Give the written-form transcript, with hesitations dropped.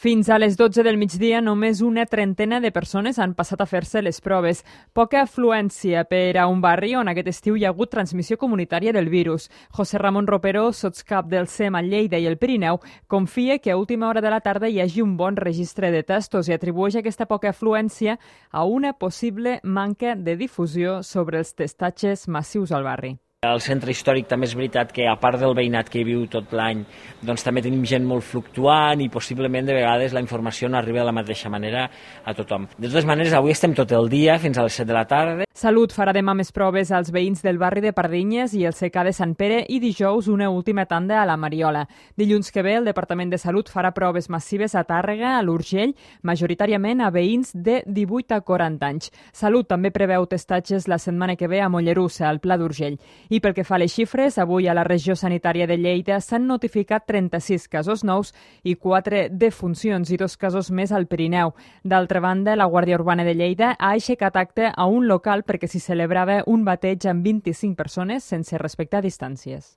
Fins a les 12 del migdia, només una trentena de persones han passat a fer-se les proves. Poca afluència per a un barri on aquest estiu hi ha hagut transmissió comunitària del virus. José Ramon Ropero, sotscap del SEM a Lleida i el Pirineu, confia que a última hora de la tarda hi hagi un bon registre de testos i atribueix aquesta poca afluència a una possible manca de difusió sobre els testatges massius al barri. Al centre històric també és veritat que, a part del veïnat que hi viu tot l'any, doncs també tenim gent molt fluctuant i possiblement de vegades la informació no arriba de la mateixa manera a tothom. De totes maneres, avui estem tot el dia, fins a les 7 de la tarda. Salut farà demà més proves als veïns del barri de Pardinyes i el secà de Sant Pere i dijous una última tanda a la Mariola. Dilluns que ve, el Departament de Salut farà proves massives a Tàrrega, a l'Urgell, majoritàriament a veïns de 18 a 40 anys. Salut també preveu testatges la setmana que ve a Mollerussa, al Pla d'Urgell. I pel que fa a les xifres, avui a la regió sanitària de Lleida s'han notificat 36 casos nous i 4 defuncions i 2 casos més al Pirineu. D'altra banda, la Guàrdia Urbana de Lleida ha aixecat acte a un local perquè s'hi celebrava un bateig amb 25 persones sense respectar distàncies.